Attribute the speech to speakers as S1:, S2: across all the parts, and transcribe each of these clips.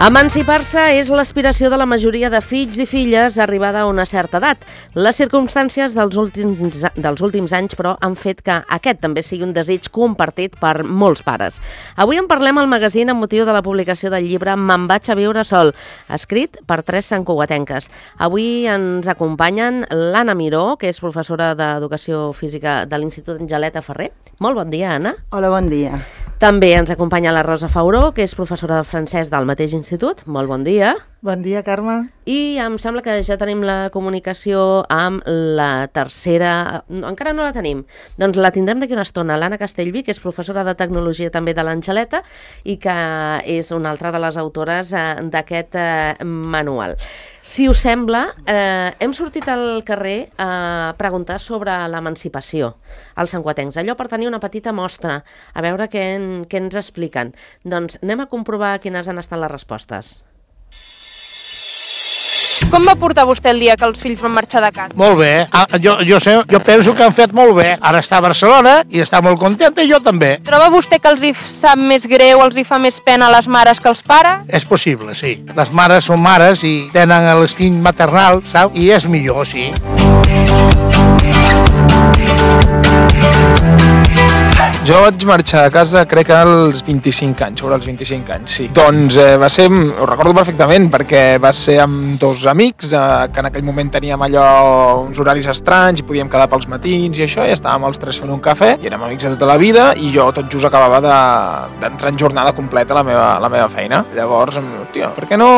S1: Emancipar-se és l'aspiració de la majoria de fills i filles arribada a una certa edat. Les circumstàncies dels últims anys, però, han fet que aquest també sigui un desig compartit per molts pares. Avui en parlem al magazín amb motiu de la publicació del llibre Me'n vaig a viure sol, escrit per 3 santcugatenques. Avui ens acompanyen l'Anna Miró, que és professora d'Educació Física de l'Institut Angeleta Ferrer. Molt bon dia, Anna.
S2: Hola, bon dia.
S1: També ens acompanya la Rosa Fauró, que és professora de francès del mateix institut. Molt bon dia.
S2: Bon dia, Carme.
S1: I em sembla que ja tenim la comunicació amb la tercera... Encara no la tenim. Doncs la tindrem d'aquí una estona. L'Anna Castellví, que és professora de Tecnologia també de l'Angeleta i que és una altra de les autores d'aquest manual. Si us sembla, hem sortit al carrer a preguntar sobre l'emancipació als santcugatencs. Allò per tenir una petita mostra, a veure què ens expliquen. Doncs anem a comprovar quines han estat les respostes.
S3: Com va portar vostè el dia que els fills van marxar de casa?
S4: Molt bé. Jo penso que han fet molt bé. Ara està a Barcelona i està molt contenta i jo també.
S3: Troba vostè que els hi sap més greu, els hi fa més pena a les mares que als pares?
S4: És possible, sí. Les mares són mares i tenen l'instint maternal, saps? I és millor, sí.
S5: Jo vaig marxar a casa, crec que als 25 anys, sobre els 25 anys, sí. Doncs va ser, ho recordo perfectament, perquè va ser amb 2 amics, que en aquell moment teníem allò, uns horaris estranys, i podíem quedar pels matins i això, i estàvem els 3 fent un cafè, i érem amics de tota la vida, i jo tot just acabava d'entrar en jornada completa a la meva feina. Llavors, tia, per què no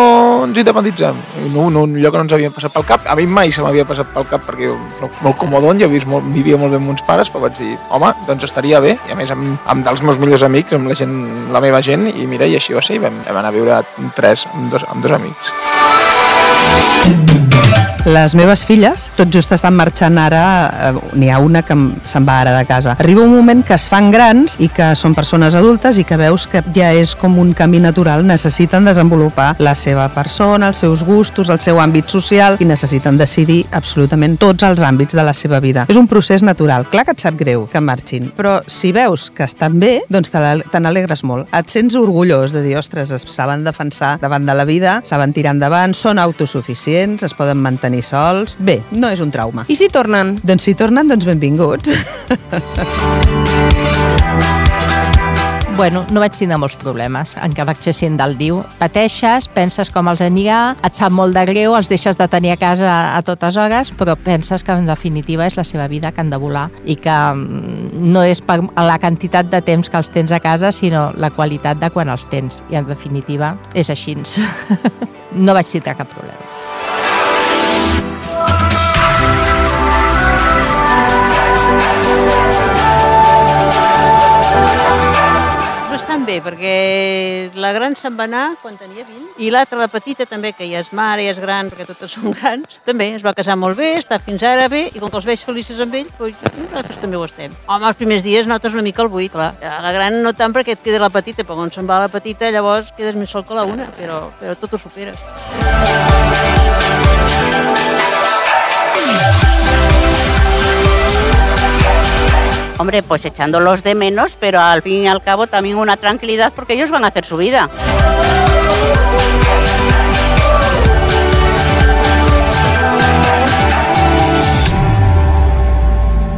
S5: ens independitzem? Allò que no ens havia passat pel cap, a mi mai se m'havia passat pel cap, perquè jo soc molt comodon, jo vivia molt bé amb uns pares, però vaig dir, home, doncs estaria bé, i a més amb dels meus millors amics, amb la meva gent, i mira, i així va ser, i vam anar a viure amb dos amics.
S2: Les meves filles tot just estan marxant ara, n'hi ha una que se'n va ara de casa. Arriba un moment que es fan grans i que són persones adultes i que veus que ja és com un camí natural, necessiten desenvolupar la seva persona, els seus gustos, el seu àmbit social i necessiten decidir absolutament tots els àmbits de la seva vida. És un procés natural. Clar que et sap greu que marxin, però si veus que estan bé, doncs te n'alegres molt. Et sents orgullós de dir, ostres, es saben defensar davant de la vida, saben tirar endavant, són autosuficients, es poden mantenir sols. Bé, no és un trauma.
S3: I si tornen?
S2: Doncs si tornen, doncs benvinguts.
S6: Bueno, no vaig tindre molts problemes, encara vaig ser sent del diu. Pateixes, penses com els anirà, et sap molt de greu, els deixes de tenir a casa a totes hores, però penses que en definitiva és la seva vida, que han de volar i que no és per la quantitat de temps que els tens a casa, sinó la qualitat de quan els tens. I en definitiva és així. No vaig tindre cap problema.
S7: Bé, perquè la gran se'n va anar quan tenia 20 i l'altra, la petita, també, que ja és mare, ja és gran, perquè totes són grans, també es va casar molt bé, està fins ara bé, i com que els veig felices amb ell, doncs nosaltres també ho estem. Home, els primers dies notes una mica el buit, clar. La gran no tant perquè et queda la petita, però quan se'n va la petita llavors quedes més sol que la una, però tot ho superes.
S8: Hombre, pues echándolos de menos, pero al fin y al cabo también una tranquilidad porque ellos van a hacer su vida.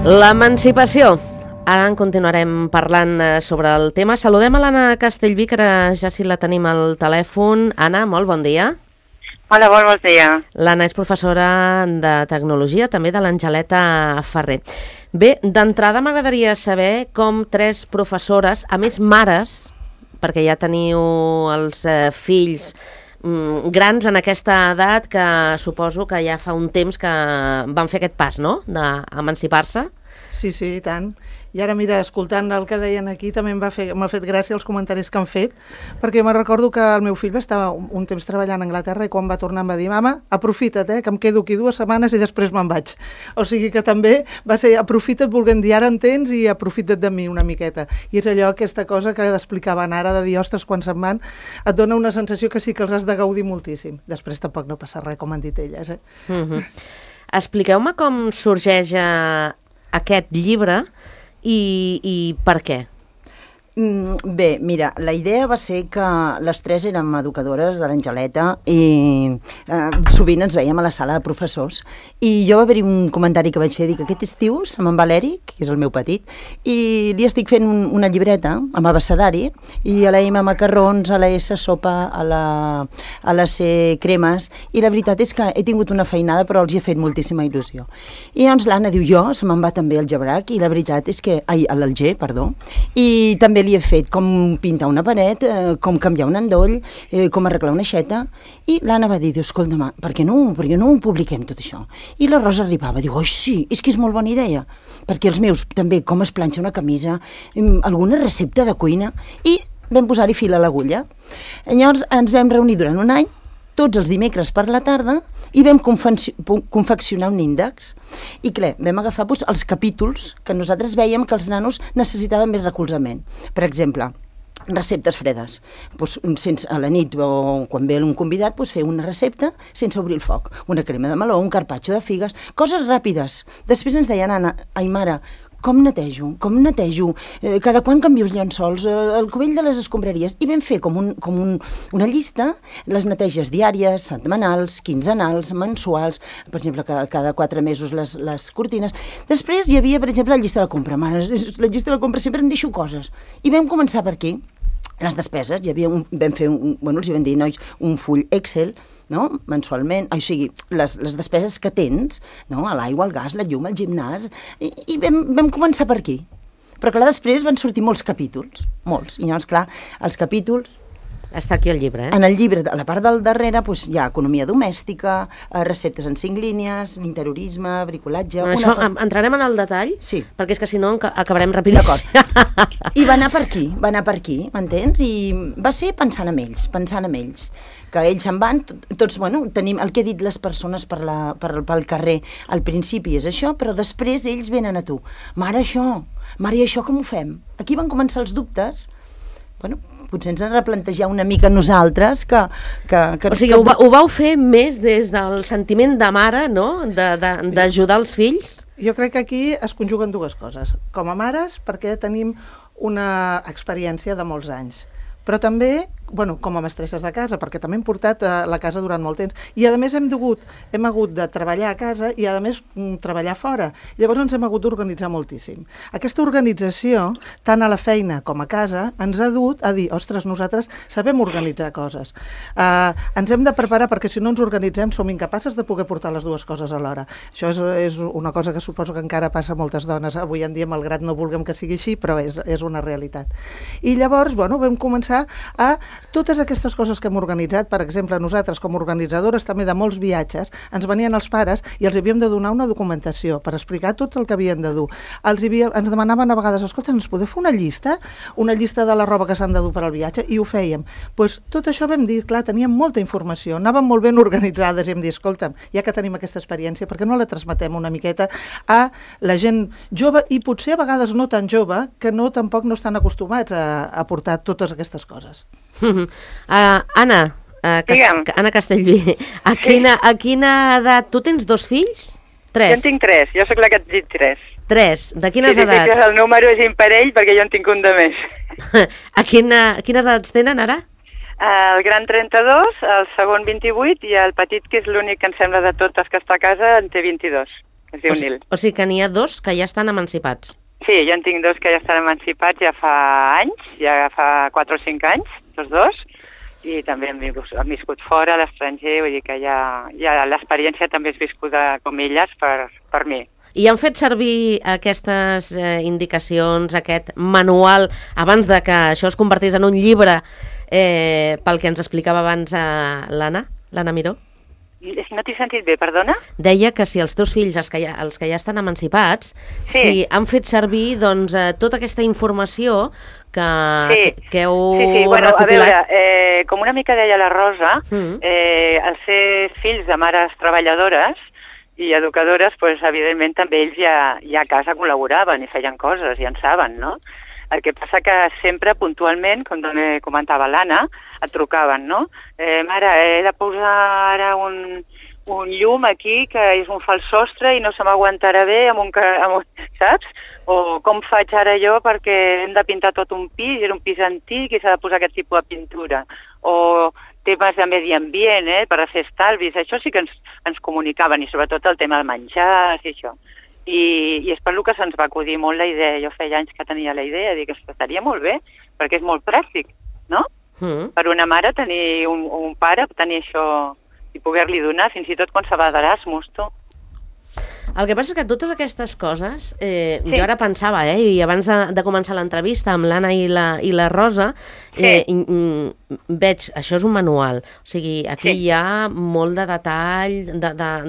S1: L'emancipació. Ara en continuarem parlant sobre el tema. Saludem a l'Anna Castellví, que ara ja sí la tenim al telèfon. Anna, molt bon dia.
S9: Hola, bon dia.
S1: L'Anna és professora de Tecnologia, també de l'Angeleta Ferrer. Bé, d'entrada m'agradaria saber com 3 professores, a més mares, perquè ja teniu els fills grans en aquesta edat, que suposo que ja fa un temps que van fer aquest pas, no?, d'emancipar-se.
S2: Sí, i tant. I ara, mira, escoltant el que deien aquí, també m'ha fet gràcia els comentaris que han fet, perquè me'n recordo que el meu fill va estar un temps treballant a Anglaterra i quan va tornar em va dir, mama, aprofita't, que em quedo aquí 2 setmanes i després me'n vaig. O sigui que també va ser aprofita't, volent dir, ara en tens i aprofita't de mi una miqueta. I és allò, aquesta cosa que explicaven ara, de dir, ostres, quan se'n van, et dona una sensació que sí que els has de gaudir moltíssim. Després tampoc no passa res, com han dit elles.
S1: Expliqueu-me com sorgeix aquest llibre i per què.
S10: Bé, mira, la idea va ser que les tres érem educadores de l'Angeleta i sovint ens veiem a la sala de professors i jo va haver-hi un comentari que vaig fer, dic, aquest estiu se me'n va l'Eric, que és el meu petit, i li estic fent una llibreta amb abecedari i a la M macarrons, a la S sopa, a la C cremes, i la veritat és que he tingut una feinada però els hi he fet moltíssima il·lusió. I llavors l'Anna diu, jo se me'n va també el gebrac, i la veritat és que, l'Alger, perdó, i també li he fet com pintar una paret, com canviar un endoll, com arreglar una aixeta, i l'Anna va dir, escolta, per què no ho publiquem tot això? I la Rosa arribava, diu, oi sí, és que és molt bona idea, perquè els meus també com es planxa una camisa, alguna recepta de cuina, i vam posar-hi fil a l'agulla. Llavors ens vam reunir durant un any, tots els dimecres per la tarda, i vam confeccionar un índex. I clar, vam agafar els capítols que nosaltres veiem que els nanos necessitaven més recolzament. Per exemple, receptes fredes. A la nit o quan ve un convidat, fer una recepta sense obrir el foc. Una crema de meló, un carpaccio de figues, coses ràpides. Després ens deien, Anna, ai mare, com netejo? Cada quan canvio els llençols, el cubell de les escombraries? I vam fer com una llista, les neteges diàries, setmanals, quinzenals, mensuals, per exemple, cada 4 mesos les cortines. Després hi havia, per exemple, la llista de la compra. La llista de la compra sempre em deixo coses. I vam començar per aquí. Les despeses, vam fer, els hi vam dir, nois, un full Excel, no? Mensualment, o sigui, les despeses que tens, no? L'aigua, el gas, la llum, el gimnàs, i vam començar per aquí. Però clar, després van sortir molts capítols, molts, i llavors, clar, els capítols...
S1: Està aquí el llibre,
S10: En el llibre, a la part del darrere, hi ha economia domèstica, receptes en 5 línies, interiorisme, bricolatge...
S1: Això entrarem en el detall,
S10: sí,
S1: perquè és que si no acabarem rapidíssim.
S10: I va anar per aquí, m'entens? I va ser pensant en ells, que ells se'n van, tots, tenim el que he dit les persones pel carrer, al principi és això, però després ells venen a tu. Mare, i això com ho fem? Aquí van començar els dubtes, potser ens hem de replantejar una mica nosaltres que...
S1: O sigui, ho vau fer més des del sentiment de mare, no?, d'ajudar els fills?
S11: Jo crec que aquí es conjuguen dues coses. Com a mares, perquè tenim una experiència de molts anys, però també, com a mestresses de casa, perquè també hem portat a la casa durant molt temps, i a més hem hagut de treballar a casa i a més treballar fora. Llavors ens hem hagut d'organitzar moltíssim. Aquesta organització, tant a la feina com a casa, ens ha dut a dir, ostres, nosaltres sabem organitzar coses. Ens hem de preparar perquè si no ens organitzem som incapaces de poder portar les dues coses alhora. Això és una cosa que suposo que encara passa a moltes dones avui en dia, malgrat no vulguem que sigui així, però és una realitat. I llavors, vam començar a totes aquestes coses que hem organitzat, per exemple, nosaltres com a organitzadores també de molts viatges, ens venien els pares i els havíem de donar una documentació per explicar tot el que havien de dur. Ens demanaven a vegades, escolta, ens podeu fer una llista de la roba que s'han de dur per al viatge? I ho fèiem. Tot això vam dir, clar, teníem molta informació, anàvem molt ben organitzades i hem dit, escolta, ja que tenim aquesta experiència, per què no la transmetem una miqueta a la gent jove i potser a vegades no tan jove, que tampoc no estan acostumats a portar totes aquestes coses.
S1: Anna Castellví, a quina edat? Tu tens 2 fills? 3?
S9: Jo en tinc 3, jo sóc la que et dic 3.
S1: 3, de quines edats?
S9: Sí, el número és imparell perquè jo en tinc un de més.
S1: A quines edats tenen ara?
S9: El gran 32, el segon 28 i el petit, que és l'únic que em sembla de totes que està a casa, en té 22. Es diu Nil.
S1: O sigui que n'hi ha 2 que ja estan emancipats.
S9: Sí, jo en tinc 2 que ja estan emancipats ja fa anys, ja fa 4 o 5 anys, tots 2, i també han viscut fora, a l'estranger, vull dir que ja l'experiència també és viscuda com elles per mi.
S1: I han fet servir aquestes indicacions, aquest manual, abans de que això es convertís en un llibre, pel que ens explicava abans l'Anna Miró?
S9: No t'he sentit bé, perdona?
S1: Deia que si els teus fills, els que ja estan emancipats, si han fet servir tota aquesta informació que heu recopilat.
S9: A veure, com una mica deia la Rosa, els ser fills de mares treballadores i educadores, evidentment també ells ja a casa col·laboraven i feien coses, ja en saben, no? El que passa que sempre, puntualment, com també comentava l'Anna, et trucaven, no? Mare, he de posar ara un llum aquí que és un fals sostre i no se m'aguantarà bé saps? O com faig ara jo perquè hem de pintar tot un pis, era un pis antic i s'ha de posar aquest tipus de pintura. O temes de medi ambient, per fer estalvis, això sí que ens comunicaven, i sobretot el tema de menjars i això. I és per lo que se'ns va acudir molt la idea. Jo feia anys que tenia la idea, dic que estaria molt bé, perquè és molt pràctic, no? Per una mare tenir un pare, tenir això i poder-li donar, fins i tot quan se va d'Erasmus, tu.
S1: El que passa és que totes aquestes coses, jo ara pensava, i abans de començar l'entrevista amb l'Anna i la Rosa, veig, això és un manual, o sigui, aquí hi ha molt de detall,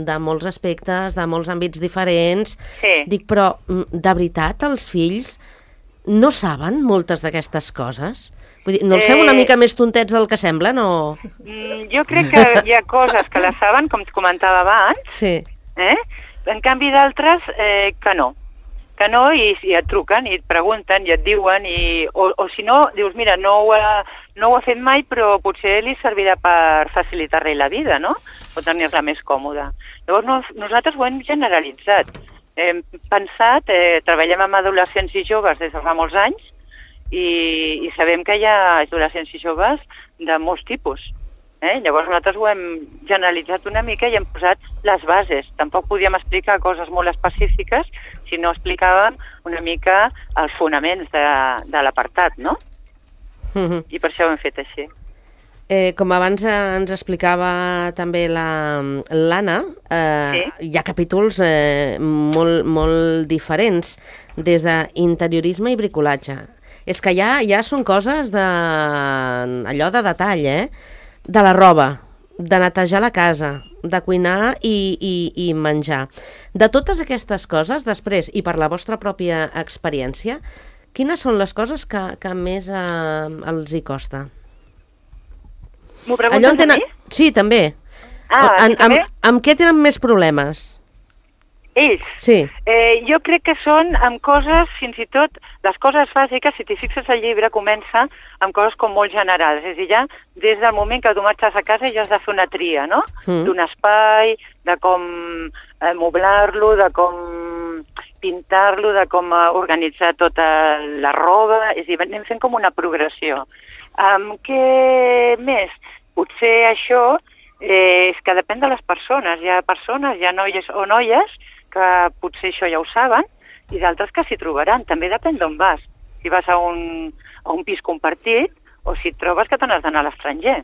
S1: de molts aspectes, de molts àmbits diferents. Dic, però, de veritat, els fills no saben moltes d'aquestes coses? Vull dir, no els fem una mica més tontets del que semblen, o...?
S9: Jo crec que hi ha coses que les saben, com et comentava abans, en canvi d'altres que no. Que no, i et truquen, i et pregunten, i et diuen, o si no, dius, mira, no ho ha fet mai, però potser li servirà per facilitar-li la vida, no? O tenir-la més còmoda. Llavors, nosaltres ho hem generalitzat. Hem pensat, treballem amb adolescents i joves des de fa molts anys, i sabem que hi ha adolescents i joves de molts tipus. Llavors nosaltres ho hem generalitzat una mica i hem posat les bases. Tampoc podíem explicar coses molt específiques si no explicàvem una mica els fonaments de l'apartat, no? I per això ho hem fet així.
S1: Com abans ens explicava també l'Anna, hi ha capítols molt diferents, des d'interiorisme i bricolatge. És que ja són coses allò de detall, de la roba, de netejar la casa, de cuinar i menjar. De totes aquestes coses, després, i per la vostra pròpia experiència, quines són les coses que més els hi costa?
S9: M'ho preguntes a mi?
S1: Sí, també. Amb què tenen més problemes?
S9: Ells?
S1: Sí.
S9: Jo crec que són amb coses, fins i tot, les coses bàsiques, si t'hi fixes al llibre, comença amb coses com molt generals. És a dir, ja des del moment que tu marxes a casa ja has de fer una tria, no? D'un espai, de com moblar-lo, de com pintar-lo, de com organitzar tota la roba. És a dir, anem fent com una progressió. Què més? Potser això és que depèn de les persones. Hi ha persones, hi ha noies o noies que potser això ja ho saben, i d'altres que s'hi trobaran. També depèn d'on vas. Si vas a un pis compartit, o si et trobes que te n'has d'anar a l'estranger.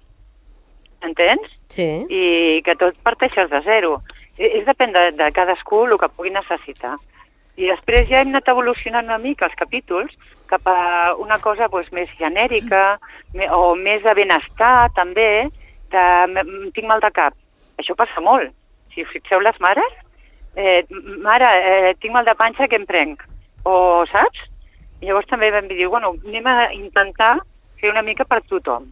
S9: Entens?
S1: Sí.
S9: I que tot parteixes de zero. Depèn de cadascú el que pugui necessitar. I després ja hem anat evolucionant una mica els capítols cap a una cosa més genèrica, o més de benestar, també, tinc mal de cap. Això passa molt. Si us fixeu les mares, mare, tinc mal de panxa, què em prenc? O, saps? Llavors també vam dir, bueno, anem a intentar fer una mica per tothom.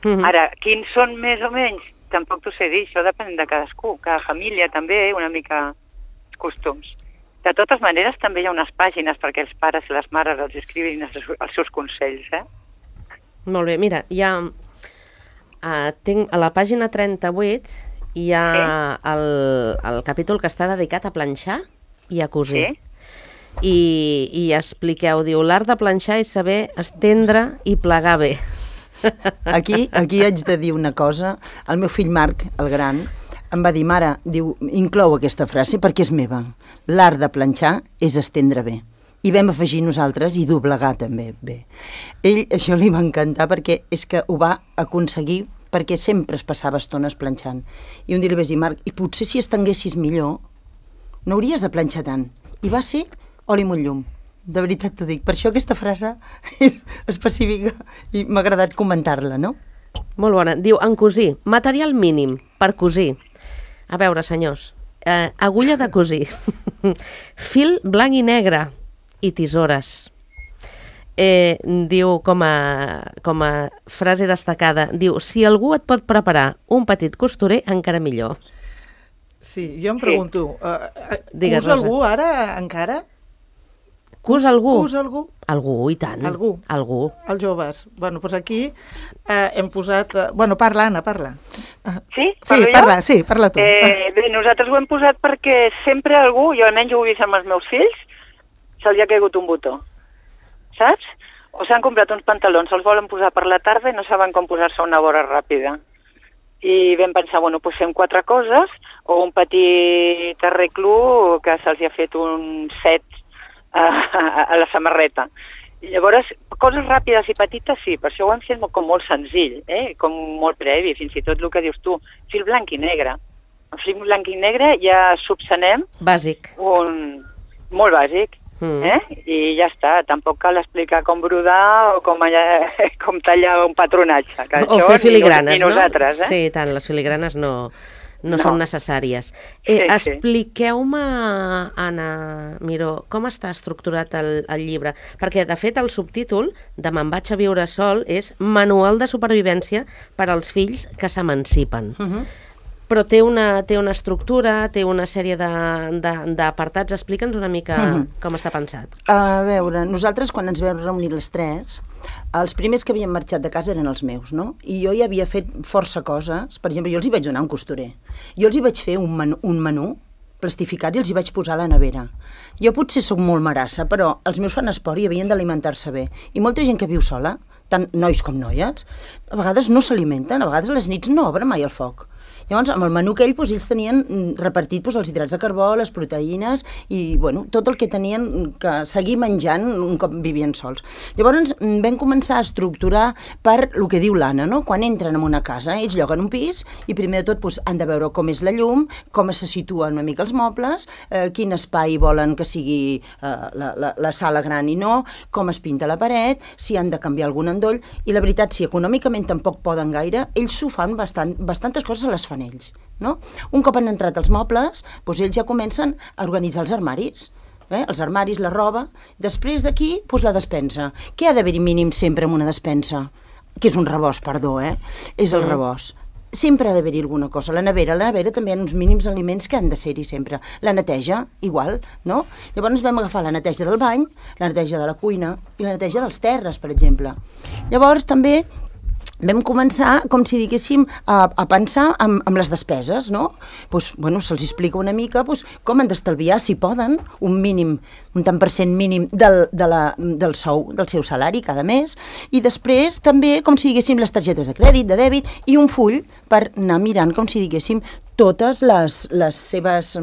S9: Ara, quins són més o menys? Tampoc t'ho sé dir, això depèn de cadascú. Cada família també, una mica costums. De totes maneres, també hi ha unes pàgines perquè els pares i les mares els escrivin els seus consells,
S1: Molt bé, mira, tinc a la pàgina 38 hi ha el capítol que està dedicat a planxar i a cosir. I expliqueu, diu, l'art de planxar és saber estendre i plegar bé.
S10: Aquí haig de dir una cosa. El meu fill Marc, el gran, em va dir, mare, diu, inclou aquesta frase perquè és meva. L'art de planxar és estendre bé. I vam afegir nosaltres i doblegar també bé. Ell això li va encantar perquè és que ho va aconseguir perquè sempre es passava estones planxant. I un dia li vaig dir, Marc, i potser si estenguessis millor no hauries de planxar tant. I va ser oli amb un llum. De veritat t'ho dic. Per això aquesta frase és específica i m'ha agradat comentar-la, no?
S1: Molt bona. Diu, en cosir, material mínim per cosir. A veure, senyors, agulla de cosir, fil blanc i negre i tisores. Diu, com a frase destacada, diu, si algú et pot preparar un petit costurer, encara millor.
S11: Sí, jo em pregunto,
S1: Digues,
S11: usa algú ara encara
S1: Cus algú?
S11: Cus algú?
S1: Algú, i tant.
S11: Algú?
S1: Algú.
S11: Els joves. Bueno, doncs aquí hem posat... Bueno, parla, Anna, parla.
S9: Sí?
S11: Sí, parla tu.
S9: Bé, nosaltres ho hem posat perquè sempre algú, jo almenys ho he vist amb els meus fills, se'ls ha caigut un botó. Saps? O s'han comprat uns pantalons, se'ls volen posar per la tarda i no saben com posar-se una vora ràpida. I vam pensar, bueno, doncs fem 4 coses, o un petit arreglo que se'ls ha fet un set a la samarreta. I llavors, coses ràpides i petites sí, per això ho hem fet com molt senzill, com molt previ, fins i tot el que dius tu, fil blanc i negre. El fil blanc i negre ja subsanem...
S1: Bàsic.
S9: Molt bàsic. I ja està, tampoc cal explicar com brodar o com tallar un patronatge.
S1: O fer filigranes,
S9: no? Nosaltres,
S1: Sí, tant, les filigranes no són necessàries. Expliqueu-me, Anna Miró, com està estructurat el llibre? Perquè, de fet, el subtítol de Me'n vaig a viure sol és Manual de supervivència per als fills que s'emancipen. Però té una estructura, té una sèrie d'apartats. Explica'ns una mica com està pensat.
S10: A veure, nosaltres quan ens vam reunir les 3, els primers que havien marxat de casa eren els meus, no? I jo ja havia fet força coses. Per exemple, jo els hi vaig donar un costurer. Jo els hi vaig fer un menú plastificat i els hi vaig posar a la nevera. Jo potser sóc molt marassa, però els meus fan esport i havien d'alimentar-se bé. I molta gent que viu sola, tant nois com noies, a vegades no s'alimenten, a vegades a les nits no obren mai el foc. Llavors, amb el menú aquell, ells tenien repartit els hidrats de carbó, les proteïnes i tot el que tenien que seguir menjant un cop vivien sols. Llavors, vam començar a estructurar per el que diu l'Anna, no? Quan entren en una casa, ells lloguen un pis i primer de tot han de veure com és la llum, com se situen una mica els mobles, quin espai volen que sigui la sala gran i no, com es pinta la paret, si han de canviar algun endoll, i la veritat, si econòmicament tampoc poden gaire, ells s'ho fan bastantes coses a les fan ells. No? Un cop han entrat els mobles, ells ja comencen a organitzar els armaris. Els armaris, la roba. Després d'aquí, la despensa. Què ha d'haver-hi mínim sempre en una despensa? Que és un rebost, perdó, és el rebost. Sempre ha d'haver-hi alguna cosa. La nevera també hi ha uns mínims aliments que han de ser-hi sempre. La neteja, igual, no? Llavors vam agafar la neteja del bany, la neteja de la cuina i la neteja dels terres, per exemple. Llavors també vam començar, com si diguéssim, a pensar amb les despeses, no? Se'ls explica una mica com han d'estalviar, si poden, un tant per cent mínim del sou, del seu salari cada mes, i després també, com si diguéssim, les targetes de crèdit, de dèbit, i un full per anar mirant, com si diguéssim, totes les seves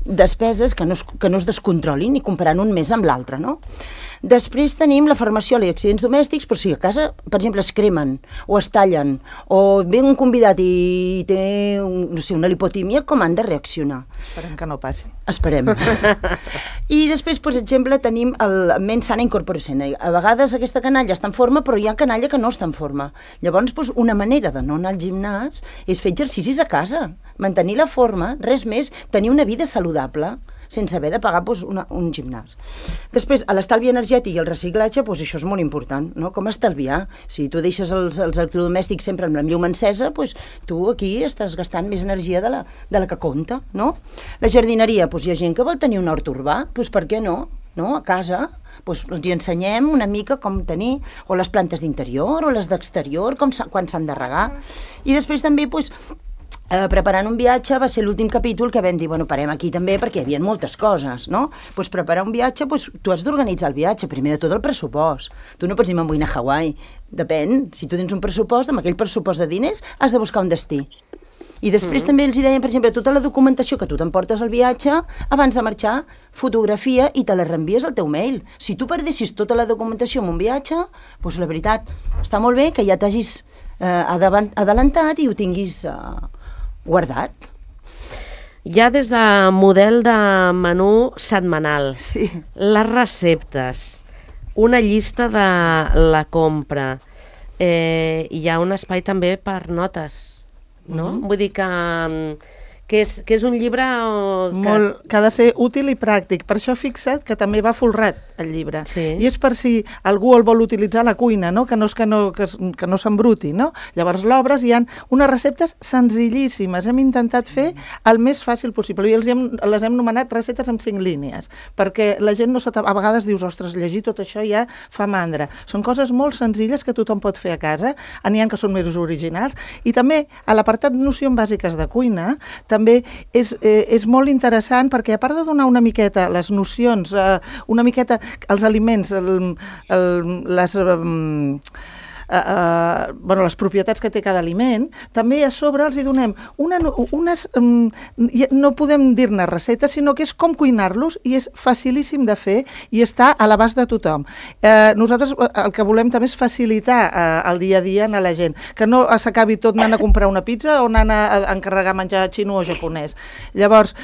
S10: despeses que no es descontrolin i comparant un mes amb l'altre, no? Després tenim la farmaciola i accidents domèstics, però si a casa, per exemple, es cremen o es tallen o ve un convidat i té, una lipotímia, com han de reaccionar?
S11: Esperem que no passi.
S10: Esperem. I després, per exemple, tenim el Mens Sana Incorpore Sana. A vegades aquesta canalla està en forma, però hi ha canalla que no està en forma. Llavors, una manera de no anar al gimnàs és fer exercicis a casa, mantenir la forma, res més, tenir una vida saludable, sense haver de pagar un gimnàs. Després, l'estalvi energètic i el reciclatge, això és molt important, no? Com estalviar? Si tu deixes els electrodomèstics sempre amb la llum encesa, tu aquí estàs gastant més energia de la que compta, no? La jardineria, hi ha gent que vol tenir un hort urbà, per què no? A casa, els hi ensenyem una mica com tenir, o les plantes d'interior, o les d'exterior, quan s'han de regar. I després també, preparant un viatge va ser l'últim capítol que vam dir, parem aquí també perquè hi havia moltes coses, no? Preparar un viatge, tu has d'organitzar el viatge, primer de tot el pressupost. Tu no pots dir me'n vull anar a Hawaii. Depèn, si tu tens un pressupost, amb aquell pressupost de diners has de buscar un destí. I després també els deien, per exemple, tota la documentació que tu t'emportes al viatge, abans de marxar, fotografia i te la reenvies al teu mail. Si tu perdessis tota la documentació en un viatge, la veritat, està molt bé que ja t'hagis adelantat i ho tinguis guardat.
S1: Hi ha des de model de menú setmanal,
S10: sí.
S1: Les receptes, una llista de la compra, hi ha un espai també per notes, no? Vull dir que que és un llibre
S11: que ha de ser útil i pràctic. Per això fixa't que també va folrat el llibre.
S1: Sí.
S11: I és per si algú el vol utilitzar a la cuina, no? Que no s'embruti, no? Llavors l'obres, hi ha unes receptes senzillíssimes. Hem intentat fer el més fàcil possible i les hem nomenat receptes amb 5 línies, perquè la gent a vegades dius, ostres, llegir tot això ja fa mandra. Són coses molt senzilles que tothom pot fer a casa, n'hi ha que són més originals, i també a l'apartat nocions bàsiques de cuina també és molt interessant perquè a part de donar una miqueta les nocions, una miqueta els aliments, les propietats que té cada aliment, també a sobre els hi donem unes, no podem dir-ne receptes, sinó que és com cuinar-los i és facilíssim de fer i està a l'abast de tothom. Nosaltres el que volem també és facilitar el dia a dia a la gent, que no s'acabi tot anant a comprar una pizza o anant a encarregar menjar xino o japonès. Llavors,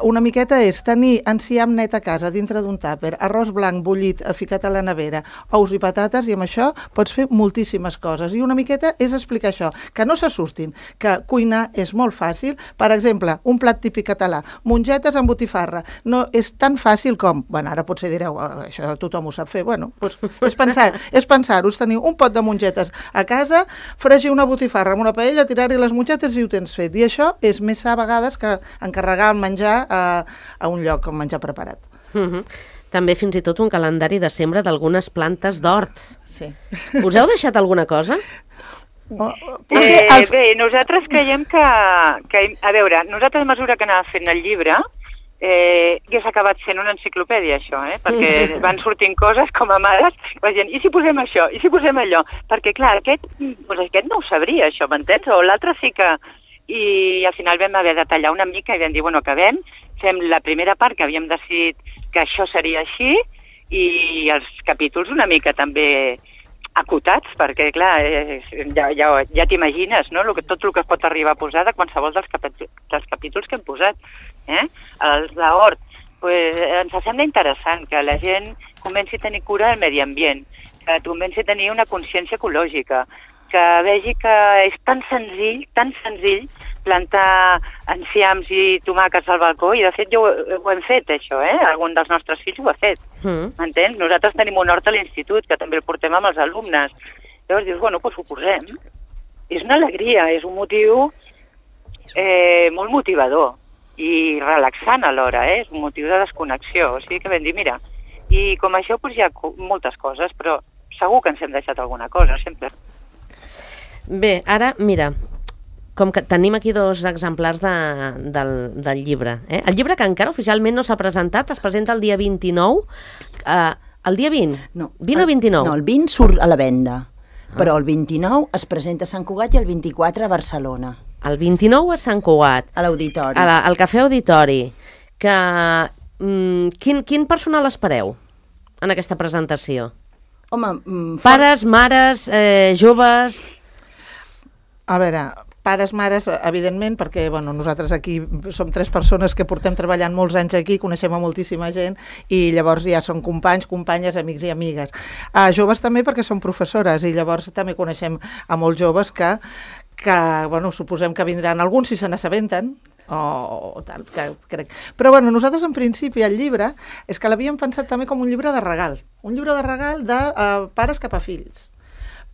S11: una miqueta és tenir enciam net a casa dintre d'un tàper, arròs blanc bullit ficat a la nevera, ous i patates, i amb això pots fer moltíssimes coses. I una miqueta és explicar això, que no s'assustin, que cuinar és molt fàcil. Per exemple, un plat típic català, mongetes amb botifarra. No és tan fàcil com, bueno, ara potser direu, això tothom ho sap fer, bueno, doncs és pensar-ho, tenir un pot de mongetes a casa, fregir una botifarra amb una paella, tirar-hi les mongetes i ho tens fet. I això és més a vegades que encarregar el menjar a un lloc amb menjar preparat.
S1: També fins i tot un calendari de sembra d'algunes plantes d'hort.
S11: Sí.
S1: Us heu deixat alguna cosa?
S9: Bé, nosaltres creiem que, a veure, nosaltres a mesura que anava fent el llibre, ja s'ha acabat sent una enciclopèdia, això, perquè van sortint coses com a mares, la gent, i si posem això, i si posem allò? Perquè, clar, aquest no ho sabria, això, m'entens? O l'altre sí que... I al final vam haver de tallar una mica i vam dir, bueno, acabem, fem la primera part que havíem decidit que això seria així i els capítols una mica també acotats, perquè, clar, ja t'imagines, no?, tot el que es pot arribar a posar de qualsevol dels capítols que hem posat. Els d'hort, ens sembla interessant que la gent comenci a tenir cura del medi ambient, que comenci a tenir una consciència ecològica, que vegi que és tan senzill plantar enciams i tomàquets al balcó, i de fet ho hem fet, això, algun dels nostres fills ho ha fet, m'entens? Nosaltres tenim un hort a l'institut, que també el portem amb els alumnes. Llavors dius, bueno, doncs ho posem. És una alegria, és un motiu molt motivador i relaxant alhora, és un motiu de desconnexió. O sigui que vam dir, mira, i com això hi ha moltes coses, però segur que ens hem deixat alguna cosa, sempre.
S1: Bé, ara, mira, com que tenim aquí 2 exemplars del llibre. El llibre que encara oficialment no s'ha presentat, es presenta el dia 29. El dia 20?
S10: No.
S1: 20 o 29?
S10: No, el 20 surt a la venda, però el 29 es presenta a Sant Cugat i el 24 a Barcelona.
S1: El 29 a Sant Cugat.
S10: A l'Auditori.
S1: Al Cafè Auditori. Quin personal espereu en aquesta presentació?
S10: Home,
S11: pares,
S1: mares, joves...
S11: A veure, pares, mares, evidentment, perquè nosaltres aquí som 3 persones que portem treballant molts anys aquí, coneixem a moltíssima gent i llavors ja són companys, companyes, amics i amigues. Joves també perquè són professores i llavors també coneixem a molts joves que suposem que vindran alguns si se n'assabenten, o tal, que crec. Però nosaltres en principi el llibre és que l'havíem pensat també com un llibre de regal de pares cap a fills,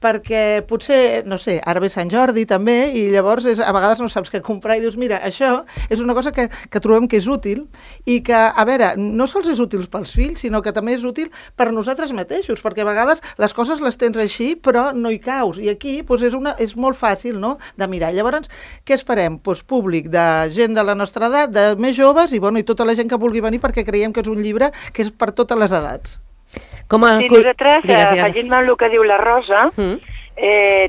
S11: perquè potser, no sé, ara ve Sant Jordi també, i llavors a vegades no saps què comprar i dius, mira, això és una cosa que trobem que és útil i que, a veure, no sols és útil pels fills, sinó que també és útil per nosaltres mateixos, perquè a vegades les coses les tens així, però no hi caus, i aquí és molt fàcil, no?, de mirar. Llavors, què esperem? Públic de gent de la nostra edat, de més joves, i tota la gent que vulgui venir, perquè creiem que és un llibre que és per totes les edats.
S9: Sí, nosaltres, afegint-me el que diu la Rosa,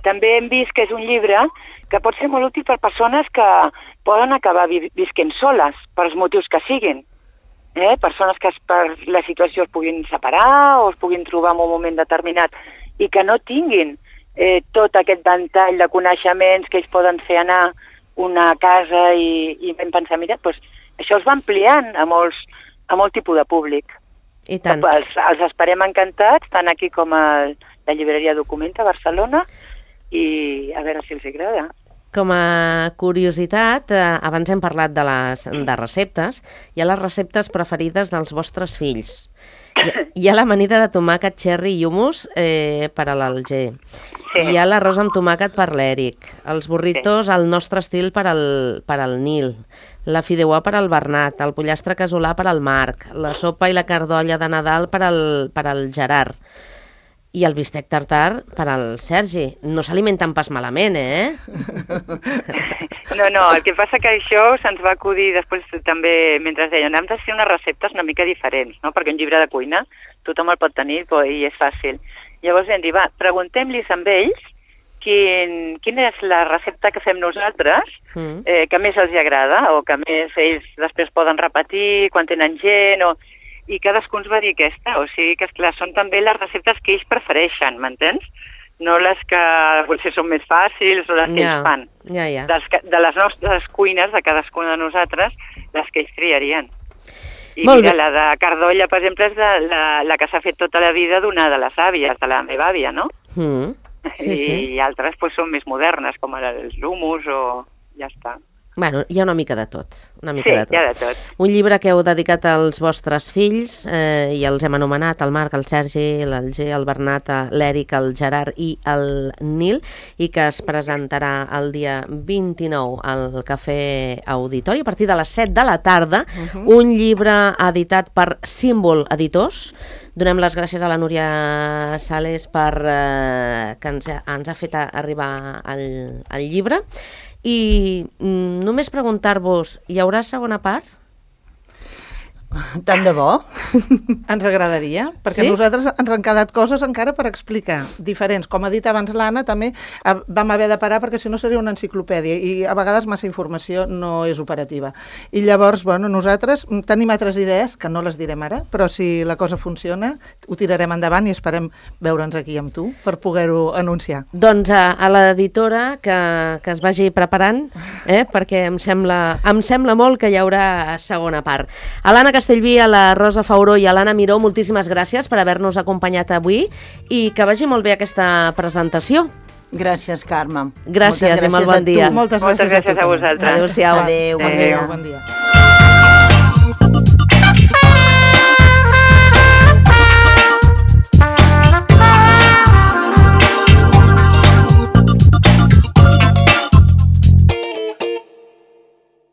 S9: també hem vist que és un llibre que pot ser molt útil per persones que poden acabar visquent soles, per els motius que siguin. Persones que per la situació es puguin separar o es puguin trobar en un moment determinat i que no tinguin tot aquest ventall de coneixements que ells poden fer anar una casa i vam pensar, mira, això es va ampliant a molt tipus de públic.
S1: I tant.
S9: Els esperem encantats, tant aquí com a la llibreria Documenta a Barcelona, i a veure si els agrada.
S1: Com a curiositat, abans hem parlat de receptes, hi ha les receptes preferides dels vostres fills. Hi ha l'amanida de tomàquet, cherry i hummus per a l'Alger. Hi ha l'arròs amb tomàquet per l'Eric. Els burritos al nostre estil per al Nil. La fideuà per al Bernat. El pollastre casolà per al Marc. La sopa i la cardolla de Nadal per al Gerard. I el bistec tartar per al Sergi. No s'alimenten pas malament,
S9: No, el que passa que això se'ns va acudir després també, mentre deien, hem de fer unes receptes una mica diferents, no? Perquè un llibre de cuina tothom el pot tenir i és fàcil. Llavors vam dir, va, preguntem-los amb ells quina és la recepta que fem nosaltres que més els agrada o que més ells després poden repetir quan tenen gent i cadascú ens va dir aquesta, o sigui que esclar, són també les receptes que ells prefereixen, m'entens? No les que potser són més fàcils o les que ells fan. De les nostres cuines, de cadascuna de nosaltres, les que ells triarien. I mira, la de cardolla, per exemple, és la que s'ha fet tota la vida d'una de les àvies, de la meva àvia, no? I altres pues, són més modernes, com els hummus o ja està.
S1: Bueno, hi ha una mica de tot.
S9: Hi ha de tot.
S1: Un llibre que heu dedicat als vostres fills, i els hem anomenat, el Marc, el Sergi, l'Alger, el Bernat, l'Eric, el Gerard i el Nil, i que es presentarà el dia 29 al Cafè Auditori, a partir de les 7 de la tarda, un llibre editat per Símbol Editors. Donem les gràcies a la Núria Sales que ens ha fet arribar el llibre. I només preguntar-vos, hi haurà segona part?
S10: Tant de bo.
S11: Ens agradaria, perquè a nosaltres ens han quedat coses encara per explicar, diferents. Com ha dit abans l'Anna, també vam haver de parar perquè si no seria una enciclopèdia i a vegades massa informació no és operativa. I llavors, bueno, nosaltres tenim altres idees, que no les direm ara, però si la cosa funciona, ho tirarem endavant i esperem veure'ns aquí amb tu per poder-ho anunciar.
S1: Doncs a l'editora que es vagi preparant, perquè em sembla molt que hi haurà segona part. A l'Anna Castellví, a la Rosa Fauró i a l'Anna Miró, moltíssimes gràcies per haver-nos acompanyat avui i que vagi molt bé aquesta presentació.
S10: Gràcies, Carme.
S1: Gràcies i molt bon dia.
S11: Moltes gràcies a
S9: vosaltres.
S1: Adéu-siau.
S10: Adéu, bon dia.
S11: Bon dia.